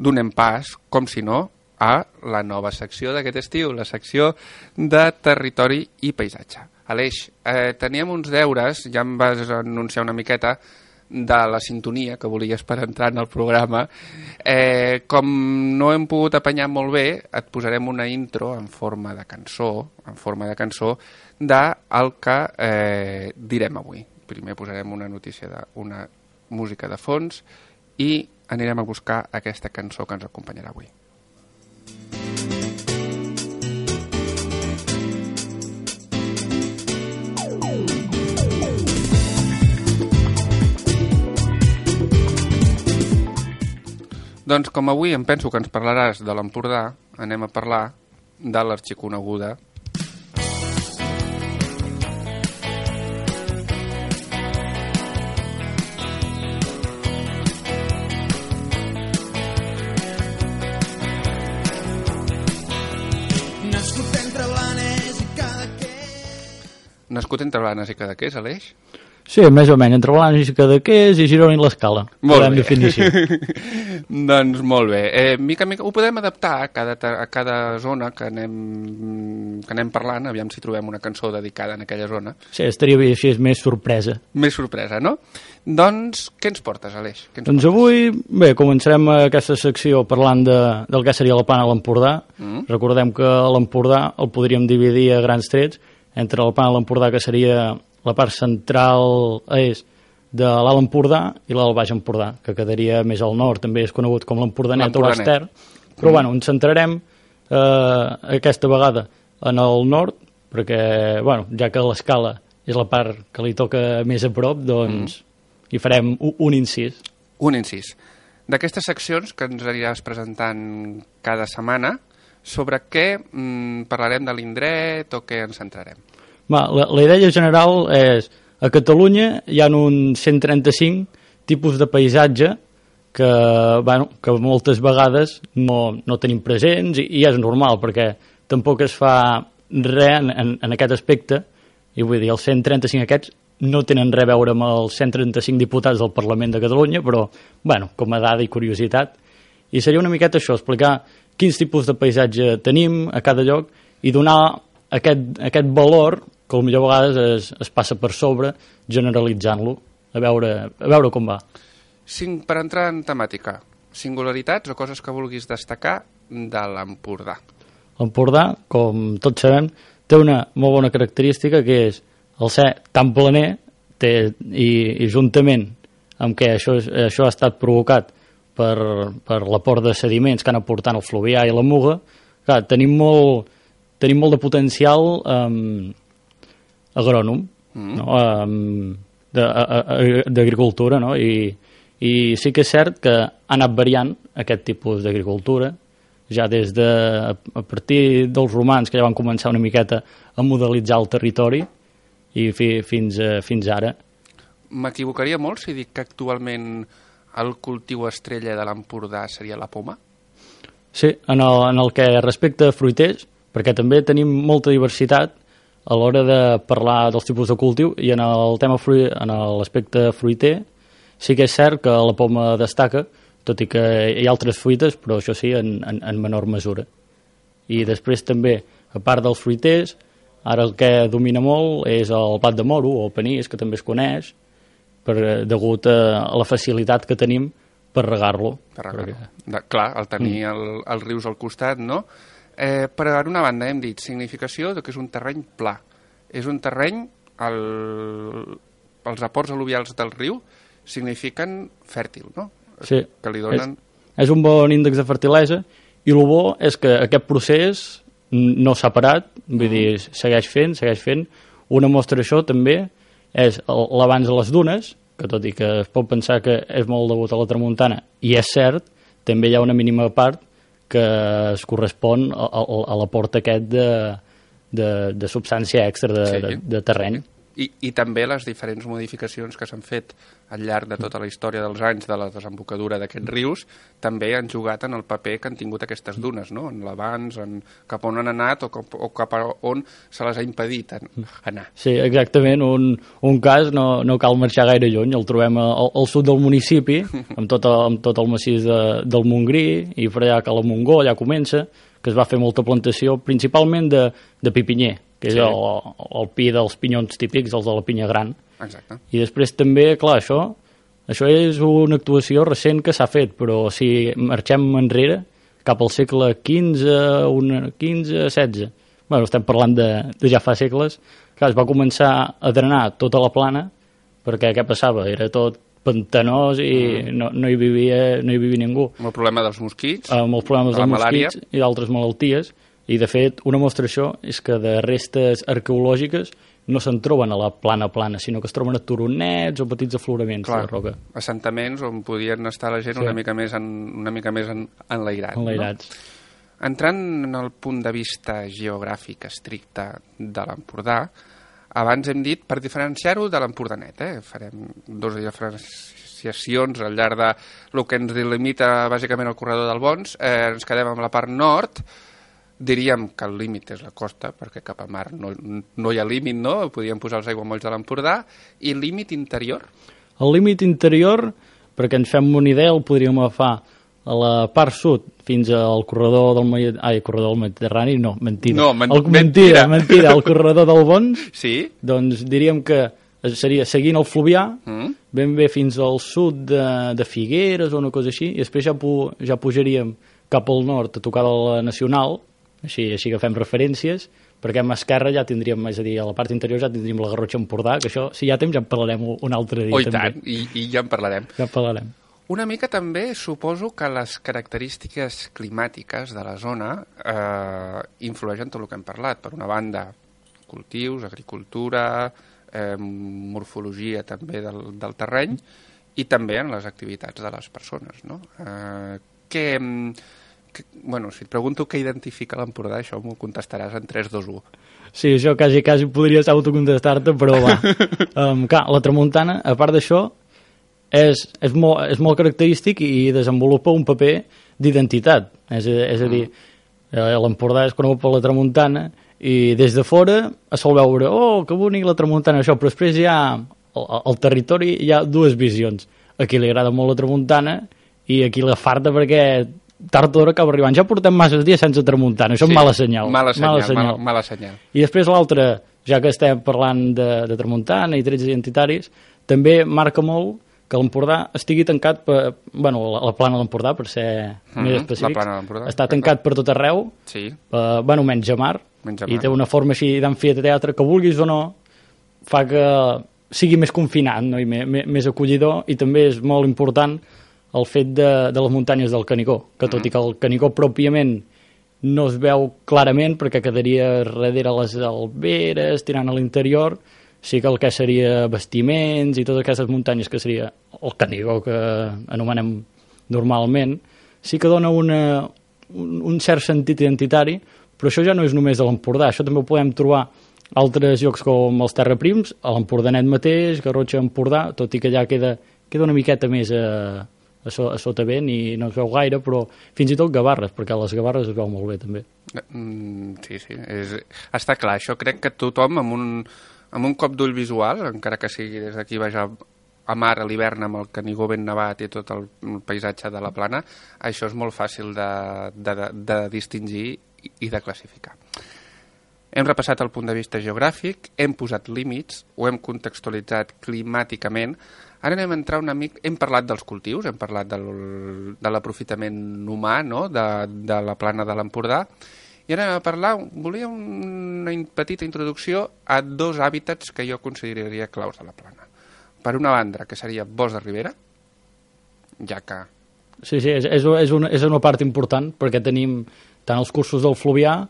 donem pas, com si no, a la nova secció d'aquest estiu, la secció de territori i paisatge. Aleix, teníem uns deures, ja em vas anunciar una miqueta, de la sintonia que volies per entrar en el programa. Com no hem pogut apanyar molt bé, et posarem una intro en forma de cançó, del que direm avui. Primer posarem una notícia d'una música de fons i anirem a buscar aquesta cançó que ens acompanyarà avui. Doncs com avui em penso que ens parlaràs de l'Empordà, anem a parlar de l'arxiconeguda Nascut entre Blanes i Cadaqués, Aleix? Sí, més o menys, entre Blanes i Cadaqués i Girona i l'Escala. Molt bé. Doncs molt bé. Mica en mica ho podem adaptar a cada zona que anem parlant, aviam si trobem una cançó dedicada en aquella zona. Sí, estaria bé així, és més sorpresa. Més sorpresa, no? Doncs què ens portes, Aleix? Doncs avui, bé, començarem aquesta secció parlant del que seria la plana de l'Empordà. Recordem que l'Empordà el podríem dividir a grans trets entre la plana de l'Empordà, que seria la part central és de l'Alt Empordà i l'Alt Baix Empordà, que quedaria més al nord, també és conegut com l'Empordanet o l'Ester. Però bueno, ens centrarem aquesta vegada en el nord, perquè, bueno, ja que l'Escala és la part que li toca més a prop, doncs hi farem un incís. Un incís. D'aquestes seccions que ens aniràs presentant cada setmana, sobre què parlarem de l'indret o què ens centrarem? La idea general és, a Catalunya hi ha uns 135 tipus de paisatge que moltes vegades no tenim presents i és normal, perquè tampoc es fa res en aquest aspecte, i vull dir, els 135 aquests no tenen res a veure amb els 135 diputats del Parlament de Catalunya, però, com a dada i curiositat. I seria una miqueta això, explicar quins tipus de paisatge tenim a cada lloc i donar aquest valor que potser a vegades es passa per sobre generalitzant-lo, a veure com va. Per entrar en temàtica, singularitats o coses que vulguis destacar de l'Empordà? L'Empordà, com tots sabem, té una molt bona característica, que és el ser tan planer i juntament amb què això ha estat provocat per l'aport de sediments que han aportat el fluvià i la muga, clar, tenim molt de potencial agrònom, d'agricultura, no? I sí que és cert que ha anat variant aquest tipus d'agricultura, ja a partir dels romans, que ja van començar una miqueta a modelitzar el territori, i fins ara. M'equivocaria molt si dic que actualment el cultiu estrella de l'Empordà seria la poma? Sí, en el que respecta a fruiters, perquè també tenim molta diversitat a l'hora de parlar dels tipus de cultiu, i en l'aspecte fruiter sí que és cert que la poma destaca, tot i que hi ha altres fruites, però això sí, en menor mesura. I després també, a part dels fruiters, ara el que domina molt és el blat de moro o el panís, que també es coneix, degut a la facilitat que tenim per regar-lo. Clar, el tenir els rius al costat, no? Per una banda hem dit significació que és un terreny pla. És un terreny, els aports al·luvials del riu signifiquen fèrtil, no? Sí, que li donen... és un bon índex de fertilesa, i el bo és que aquest procés no s'ha parat, vull dir, segueix fent. Una mostra d'això també és l'avanç de les dunes, que tot i que es pot pensar que és molt degut a la tramuntana, i és cert, també hi ha una mínima part que es correspon a l'aport aquest de substància extra de terreny. I també les diferents modificacions que s'han fet al llarg de tota la història dels anys de la desembocadura d'aquests rius també han jugat en el paper que han tingut aquestes dunes, no? En l'avanç, cap on han anat o cap a on se les ha impedit anar. Sí, exactament. Un cas, no cal marxar gaire lluny, el trobem al sud del municipi, amb tot el massís del Montgrí, i per allà a la Montgó, allà comença, que es va fer molta plantació, principalment de pipinyer, que és el pi dels pinyons típics, els de la pinya gran. Exacte. I després també, clar, això és una actuació recent que s'ha fet, però si marxem enrere, cap al segle XV, XVI, bueno, estem parlant de ja fa segles, clar, es va començar a drenar tota la plana, perquè què passava? Era tot pantanós i no hi vivia ningú. Amb el problema dels mosquits, amb els problemes dels mosquits i d'altres malalties, i de fet una mostra d'això és que de restes arqueològiques no se'n troben a la plana, sinó que es troben a turonets o petits afloraments de roca. Assentaments on podien estar la gent una mica més enlairats. No? Entrant en el punt de vista geogràfic estricte de l'Empordà, abans hem dit, per diferenciar-ho de l'Empordanet, farem dues diferenciacions al llarg de lo que ens delimita bàsicament el corredor del Bons. Ens quedem amb la part nord, diríem que el límit és la costa, perquè cap a mar no hi ha límit, no? Podríem posar els aiguamolls de l'Empordà. I el límit interior? El límit interior, perquè ens fem una idea, el podríem agafar a la part sud fins al corredor del Mediterrani, no, mentida. Mentida, el corredor del Bons, sí? Doncs diríem que seria seguint el Fluvià, ben bé fins al sud de Figueres o una cosa així, i després ja pujaríem cap al nord a tocar de la Nacional, així que fem referències, perquè a esquerra ja tindríem, és a dir, a la part interior ja tindríem la Garrotxa Empordà, que això, si hi ha temps, ja en parlarem un altre dia. Oh, i tant, i ja en parlarem. Ja en parlarem. Una mica també suposo que les característiques climàtiques de la zona influeixen tot el que hem parlat. Per una banda, cultius, agricultura, morfologia també del terreny i també en les activitats de les persones, no? Bueno, si et pregunto què identifica l'Empordà, això m'ho contestaràs en 3, 2, 1. Sí, això quasi podries autocontestar-te, però va. Clar, la tramuntana, a part d'això, és molt característic i desenvolupa un paper d'identitat. És a dir, l'Empordà és conegut per la tramuntana i des de fora es sol veure, oh, que bonic la tramuntana, això, però després al territori hi ha dues visions. Aquí li agrada molt la tramuntana i aquí la farta perquè tard o d'hora acaba arribant. Ja portem masses dies sense tramuntana, això és mala senyal. Mala senyal. I després l'altra, ja que estem parlant de tramuntana i trets identitaris, també marca molt que l'Empordà estigui tancat per... Bueno, la plana de l'Empordà, per ser més específics, està tancat per tot arreu, sí. Bueno, menys a mar, i té una forma així d'amfiteatre que vulguis o no, fa que sigui més confinat, no? I més acollidor, i també és molt important el fet de les muntanyes del Canigó, que tot i que el Canigó pròpiament no es veu clarament perquè quedaria darrere les alberes, tirant a l'interior, sí que el que seria vestiments i totes aquestes muntanyes que seria el Canigó que anomenem normalment, sí que dona un cert sentit identitari, però això ja no és només a l'Empordà, això també ho podem trobar a altres llocs com els Terraprims, a l'Empordanet mateix, Garrotxa Empordà, tot i que ja queda una miqueta més a sota vent i no es veu gaire, però fins i tot Gavarres, perquè a les Gavarres es veu molt bé també. Sí, està clar, això crec que tothom amb un cop d'ull visual, encara que sigui des d'aquí baix a mar a l'hivern amb el Canigó ben nevat i tot el paisatge de la plana, això és molt fàcil de distingir i de classificar. Hem repassat el punt de vista geogràfic, hem posat límits, ho hem contextualitzat climàticament. Ara anem a entrar una mica... Hem parlat dels cultius, hem parlat de l'aprofitament humà, no?, de la plana de l'Empordà, i ara anem a parlar... Volia una petita introducció a dos hàbitats que jo consideraria claus de la plana. Per una banda, que seria Bosc de Ribera, ja que... Sí, és una part important, perquè tenim tant els cursos del Fluvià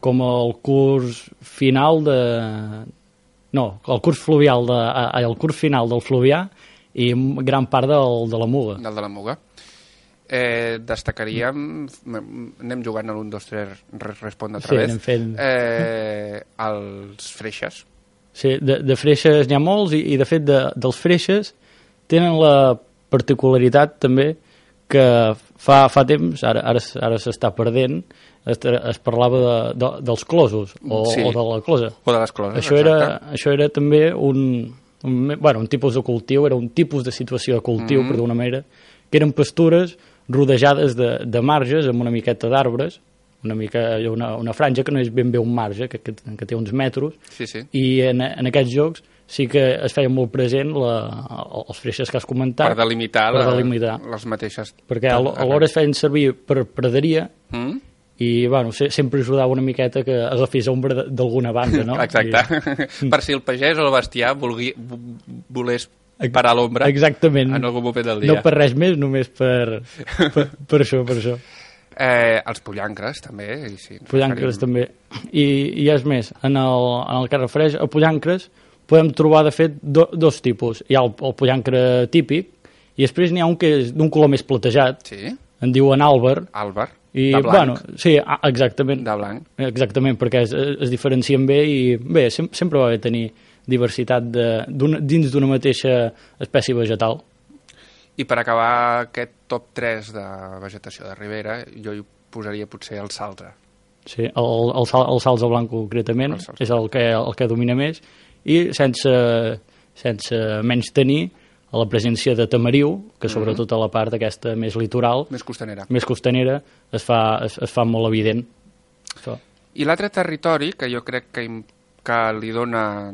com el curs final el curs final del Fluvià i gran part de la Muga. Del de la Muga. Destacaríem, anem jugant a l'1, 2, 3, respon altra vegada, anem fent... els freixes. Sí, de freixes n'hi ha molts i de fet dels freixes tenen la particularitat també que fa temps, ara s'està perdent, es parlava dels closos o de la closa. O de les closes, Això era també un tipus de cultiu, era un tipus de situació de cultiu, per d'una manera, que eren pastures rodejades de marges amb una miqueta d'arbres, una franja que no és ben bé un marge, que té uns metros, i en aquests jocs sí que es feia molt present els freixes que has comentat. Per delimitar les mateixes. Perquè alhora es feien servir per praderia i sempre ajudava una miqueta que agafés ombra d'alguna banda, no? Exacte. Per si el pagès o el bestiar volés parar l'ombra en algun moment del dia. No per res més, només per això. Els pollancres també. Pollancres també. I és més, en el que refereix a pollancres podem trobar de fet dos tipus. Hi ha el pollancre típic i després n'hi ha un que és d'un color més platejat, en diuen àlber, de blanc. Sí, exactament. De blanc. Exactament, perquè es diferencien bé i sempre va haver tenir diversitat dins d'una mateixa espècie vegetal. I per acabar aquest top 3 de vegetació de ribera, jo hi posaria potser el salze. Sí, el salze blanc concretament és el que domina més, i sense menys tenir la presència de tamariu, que sobretot a la part aquesta més litoral, més costanera es fa molt evident. I l'altre territori que jo crec que li dona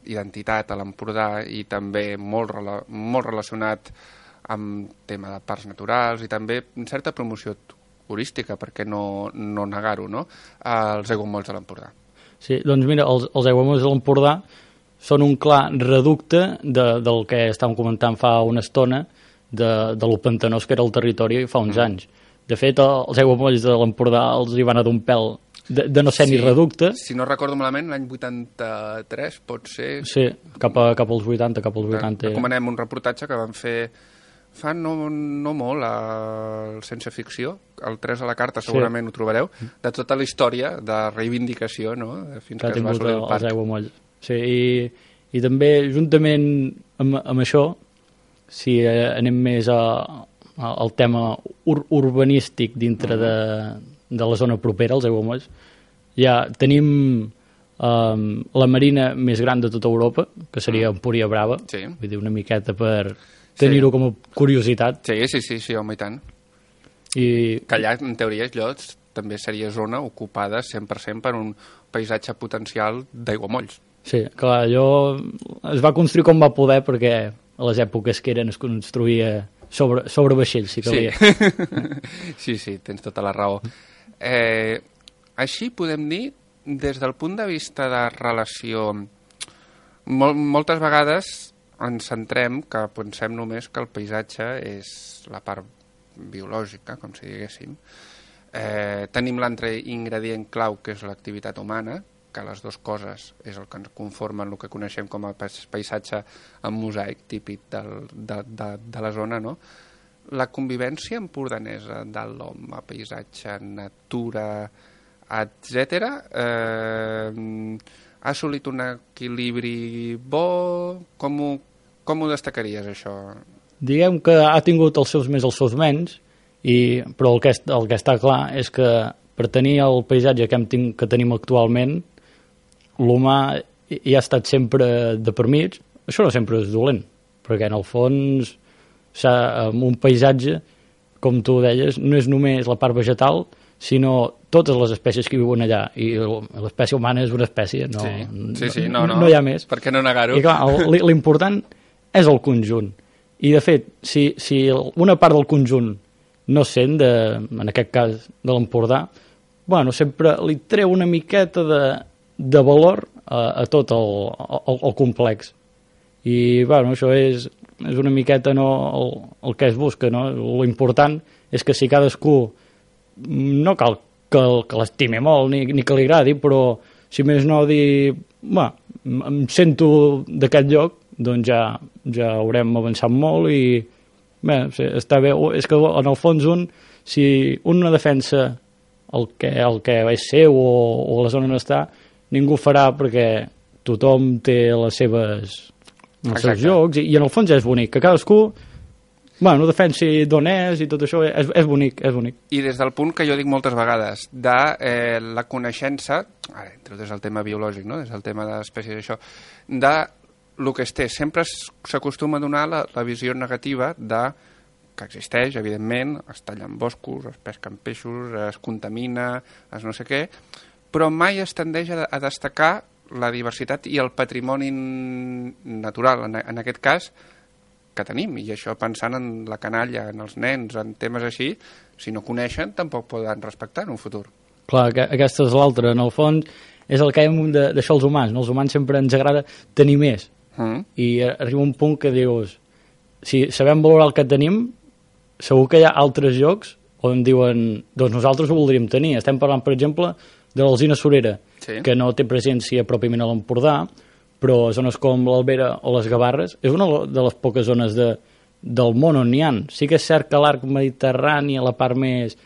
identitat a l'Empordà i també molt relacionat amb tema de parcs naturals i també certa promoció turística, per què no negar-ho, no? Els aiguamolls de l'Empordà. Sí, doncs mira, els aiguamolls de l'Empordà són un clar reducte del que estàvem comentant fa una estona, de lo pantanós que era el territori fa uns anys. De fet, els aiguamolls de l'Empordà els hi van a d'un pèl de no ser ni reducte. Si no recordo malament, l'any 83 pot ser... Sí, cap als 80. Recomanem un reportatge que van fer fa no molt, el Sense Ficció, el 3 a la carta segurament ho trobareu, de tota la història de reivindicació, no? Fins que es va assolir el parc. Els aiguamolls. Sí, i també juntament amb això, si anem més al tema urbanístic dintre de la zona propera, els aiguamolls, ja tenim la marina més gran de tota Europa, que seria Empúria Brava, vull dir, una miqueta per tenir-ho com a curiositat. Sí, home, i tant. Que allà, en teoria, també seria zona ocupada 100% per un paisatge potencial d'aiguamolls. Sí, clar, es va construir com va poder, perquè a les èpoques que eren es construïa sobre vaixells, si calia. Sí, tens tota la raó. Així podem dir, des del punt de vista de relació, moltes vegades ens centrem que pensem només que el paisatge és la part biològica, com si diguéssim. Tenim l'altre ingredient clau, que és l'activitat humana, que les dues coses és el que ens conformen el que coneixem com a paisatge en mosaic típic de la zona, no? La convivència empordanesa de l'home, paisatge, natura, etc., ha assolit un equilibri bo? Com ho destacaries, això? Diguem que ha tingut els seus més, els seus menys, però el que està clar és que per tenir el paisatge que tenim actualment, l'humà hi ha estat sempre de per mig. Això no sempre és dolent, perquè en el fons un paisatge, com tu deies, no és només la part vegetal, sinó totes les espècies que viuen allà, i l'espècie humana és una espècie, no hi ha més. Per què no negar-ho? I clar, l'important és el conjunt, i de fet, si una part del conjunt no sent, en aquest cas de l'Empordà, sempre li treu una miqueta de valor a tot el complex. I això és una miqueta el que es busca, no? L'important és que si cadascú no cal que l'estimi molt ni que li agradi, però si més no dir em sento d'aquest lloc, doncs ja haurem avançat molt i està bé. És que en el fons si un no defensa el que és seu o la zona on està, ningú farà perquè tothom té els seus jocs, i en el fons és bonic, que cadascú defensi d'on és i tot això, és bonic, és bonic. I des del punt que jo dic moltes vegades, de la coneixença, ara entro des del tema biològic, no? Des del tema d'espècies, això, de el que es té. Sempre s'acostuma a donar la visió negativa de que existeix, evidentment, es tallen boscos, es pesquen peixos, es contamina, es no sé què, però mai es tendeix a destacar la diversitat i el patrimoni natural, en aquest cas, que tenim, i això pensant en la canalla, en els nens, en temes així, si no coneixen, tampoc poden respectar en un futur. Clar, aquesta és l'altra. En el fons, és el que hem d'això els humans. No? Els humans sempre ens agrada tenir més. I arriba un punt que dius, si sabem valorar el que tenim, segur que hi ha altres llocs on diuen, doncs nosaltres ho voldríem tenir. Estem parlant, per exemple, de l'Alzina Surera, que no té presència pròpiament a l'Empordà, però zones com l'Albera o les Gavarres és una de les poques zones del món on n'hi ha. Sí que és cert que l'arc mediterrani, a la part més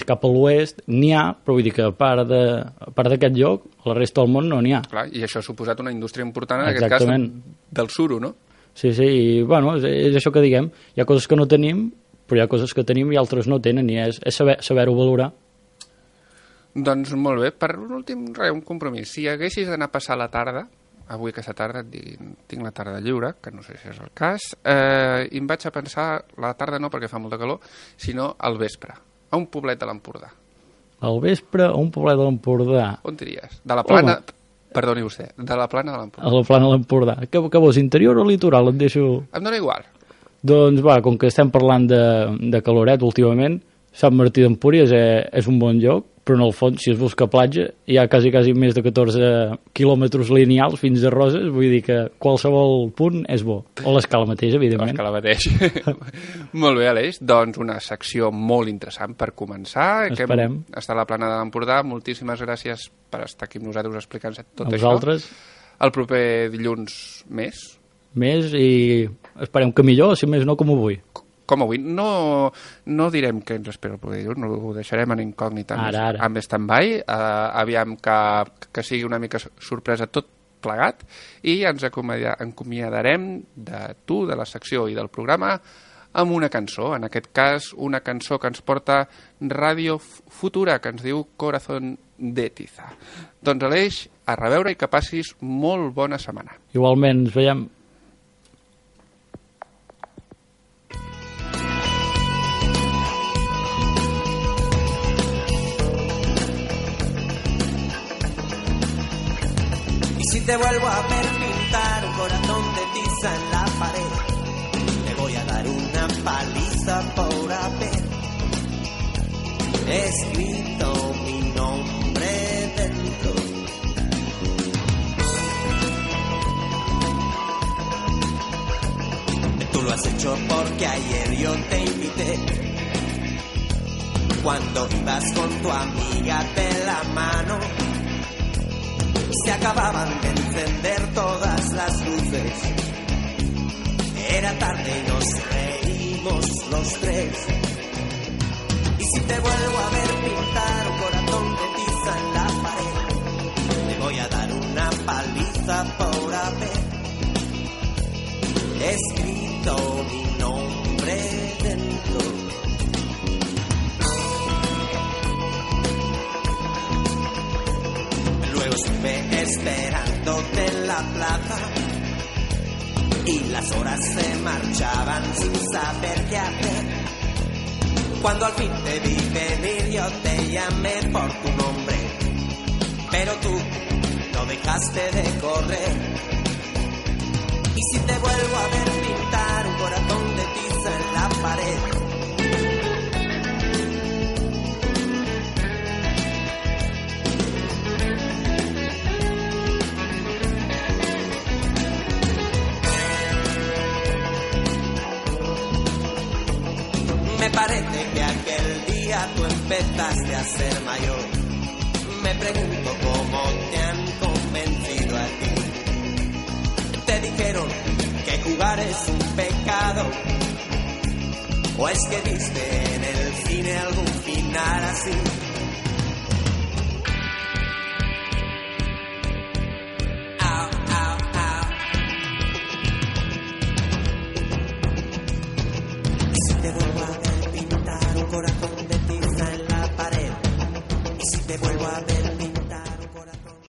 cap a l'oest, n'hi ha, però vull dir que a part d'aquest lloc, a la resta del món no n'hi ha. Clar, i això ha suposat una indústria important, en aquest cas, del suro, no? Sí, i és això que diguem. Hi ha coses que no tenim, però hi ha coses que tenim i altres no tenen, i és saber-ho valorar. Doncs molt bé. Per últim, un compromís. Si haguessis d'anar a passar la tarda, avui aquesta tarda et diguin, tinc la tarda lliure, que no sé si és el cas, i em vaig a pensar, la tarda no perquè fa molta calor, sinó al vespre, a un poblet de l'Empordà. Al vespre, a un poblet de l'Empordà? On diries? De la plana... Perdoni vostè, de la plana de l'Empordà. A la plana de l'Empordà. Què vols, interior o litoral? Et deixo... Em dóna igual. Doncs com que estem parlant de caloret últimament, Sant Martí d'Empúries és un bon lloc, però en el fons, si es busca platja, hi ha quasi més de 14 quilòmetres lineals fins a Roses, vull dir que qualsevol punt és bo. O l'escala mateix, evidentment. L'escala mateix. Molt bé, Aleix. Doncs una secció molt interessant per començar. Esperem. Està a la plana de l'Empordà. Moltíssimes gràcies per estar aquí amb nosaltres explicant-se tot això. A vosaltres. El proper dilluns més. Més, i esperem que millor, si més no, com avui. Com avui. No direm què ens espera el proper dilluns, no ho deixarem en incògnita amb stand-by, aviam que sigui una mica sorpresa tot plegat, i ens acomiadarem de tu, de la secció i del programa, amb una cançó, en aquest cas una cançó que ens porta Ràdio Futura, que ens diu Corazón de Tiza. Doncs Aleix, a reveure i que passis molt bona setmana. Igualment, ens veiem. Si te vuelvo a ver pintar un corazón de tiza en la pared, te voy a dar una paliza por haber escrito mi nombre dentro. Tú lo has hecho porque ayer yo te invité, cuando ibas con tu amiga de la mano. Se acababan de encender todas las luces. Era tarde y nos reímos los tres. Y si te vuelvo a ver pintar un corazón de tiza en la pared, te voy a dar una paliza por haber escrito mi nombre dentro. Luego estuve esperándote en la plaza y las horas se marchaban sin saber qué hacer. Cuando al fin te vi venir yo te llamé por tu nombre, pero tú no dejaste de correr. Y si te vuelvo a ver pintar un corazón de tiza en la pared, me parece que aquel día tú empezaste a ser mayor. Me pregunto cómo te han convencido a ti. Te dijeron que jugar es un pecado, o es que viste en el cine algún final así.